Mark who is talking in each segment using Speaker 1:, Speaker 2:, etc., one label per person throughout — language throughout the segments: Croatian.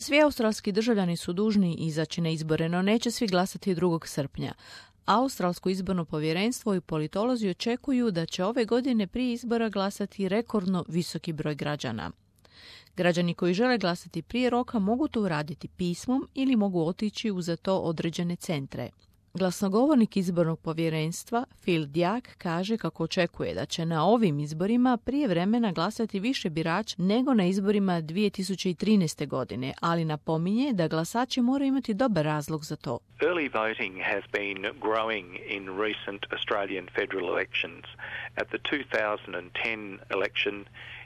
Speaker 1: Svi australski državljani su dužni izaći na izbore, no neće svi glasati 2. srpnja. Australsko izborno povjerenstvo i politolozi očekuju da će ove godine prije izbora glasati rekordno visoki broj građana. Građani koji žele glasati prije roka mogu to uraditi pismom ili mogu otići u za to određene centre. Glasnogovornik izbornog povjerenstva Phil Dyak kaže kako očekuje da će na ovim izborima prije vremena glasati više birača nego na izborima 2013. godine, ali napominje da glasači moraju imati dobar razlog za to.
Speaker 2: Early voting has been growing in recent Australian federal elections. At the 2010 election,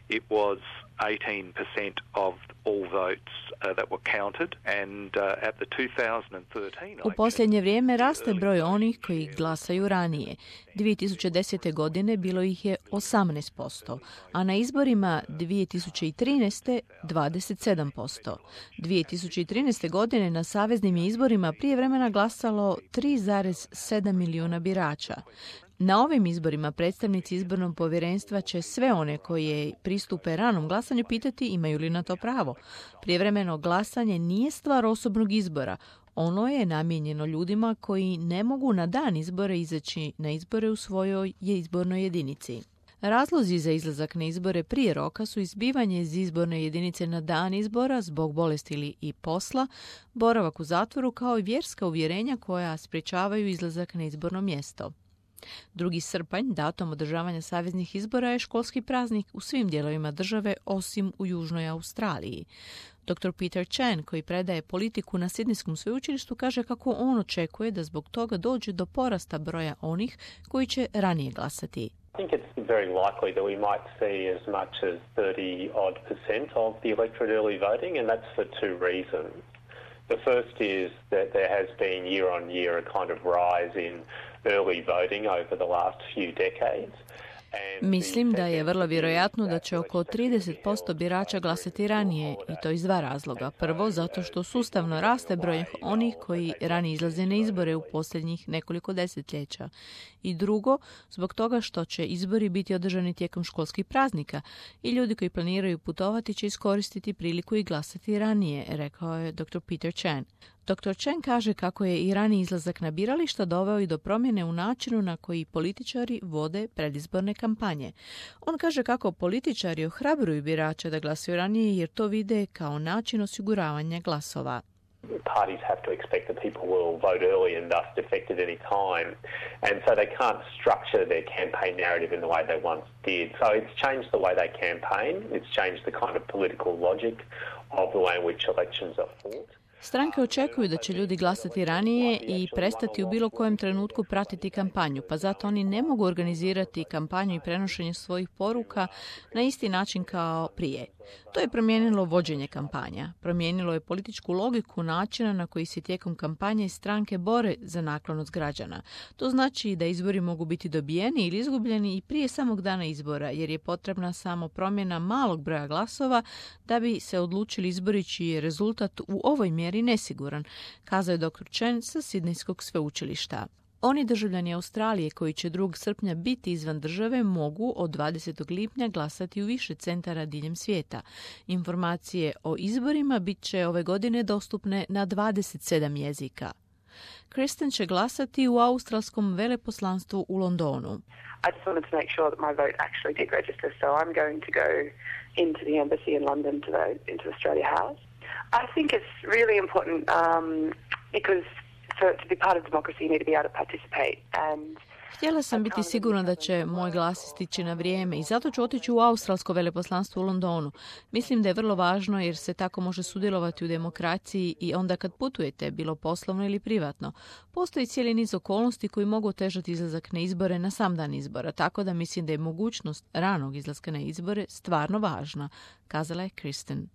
Speaker 2: it was 18% of all votes that were counted, and at the 2013
Speaker 1: U posljednje vrijeme raste broj onih koji glasaju ranije. 2010. godine bilo ih je 18%, a na izborima 2013. 27%. 2013. godine na saveznim je izborima prije vremena glasalo 3,7 milijuna birača. Na ovim izborima predstavnici izbornog povjerenstva će sve one koje pristupe ranom glasanju pitati imaju li na to pravo. Prijevremeno glasanje nije stvar osobnog izbora. Ono je namijenjeno ljudima koji ne mogu na dan izbora izaći na izbore u svojoj izbornoj jedinici. Razlozi za izlazak na izbore prije roka su izbivanje iz izborne jedinice na dan izbora zbog bolesti ili i posla, boravak u zatvoru kao i vjerska uvjerenja koja sprječavaju izlazak na izborno mjesto. 2. srpanj, datum održavanja saveznih izbora, je školski praznik u svim dijelovima države osim u Južnoj Australiji. Dr. Peter Chan, koji predaje politiku na Sidnejskom sveučilištu, kaže kako on očekuje da zbog toga dođe do porasta broja onih koji će ranije glasati.
Speaker 3: I think it's very likely that we might see as much as 30-odd% of the electorate early voting, and that's for two reasons. The first is that there has been year on year a kind of rise in early voting over the last few decades.
Speaker 1: Mislim da je vrlo vjerojatno da će oko 30% birača glasati ranije, i to iz 2 razloga. Prvo, zato što sustavno raste broj onih koji ranije izlaze na izbore u posljednjih nekoliko desetljeća. I drugo, zbog toga što će izbori biti održani tijekom školskih praznika i ljudi koji planiraju putovati će iskoristiti priliku i glasati ranije, rekao je Dr. Peter Chan. Dr. Chen kaže kako je i raniji izlazak na birališta doveo i do promjene u načinu na koji političari vode predizborne kampanje. On kaže kako političari ohrabruju birače da glasuju ranije jer to vide kao način osiguravanja glasova.
Speaker 3: Parties have to expect that people will vote early and thus defect at any time, and so they can't structure their campaign narrative in the way they once did. So it's changed the way they campaign, it's changed the kind of political logic of the way in which elections are fought.
Speaker 1: Stranke očekuju da će ljudi glasati ranije i prestati u bilo kojem trenutku pratiti kampanju, pa zato oni ne mogu organizirati kampanju i prenošenje svojih poruka na isti način kao prije. To je promijenilo vođenje kampanja. Promijenilo je političku logiku načina na koji se tijekom kampanje stranke bore za naklonost građana. To znači da izbori mogu biti dobijeni ili izgubljeni i prije samog dana izbora, jer je potrebna samo promjena malog broja glasova da bi se odlučili izbori čiji je rezultat u ovoj mjeri nesiguran, kazao je dr. Chen sa Sidnejskog sveučilišta. Oni državljani Australije koji će 2. srpnja biti izvan države mogu od 20. lipnja glasati u više centara diljem svijeta. Informacije o izborima bit će ove godine dostupne na 27 jezika. Kristen će glasati u australskom veleposlanstvu u Londonu.
Speaker 4: I just wanted to make sure that my vote actually did register, so I'm going to go into the embassy in London to vote into Australia House. I think it's really important because to be part of democracy you need to be able to participate and
Speaker 1: Htjela sam biti sigurna da će moj glas stići na vrijeme i zato ću otići u australsko veleposlanstvo u Londonu. Mislim da je vrlo važno jer se tako može sudjelovati u demokraciji i onda kad putujete, bilo poslovno ili privatno. Postoji cijeli niz okolnosti koji mogu otežati izlazak na izbore na sam dan izbora, tako da mislim da je mogućnost ranog izlaska na izbore stvarno važna, kazala je Kristen.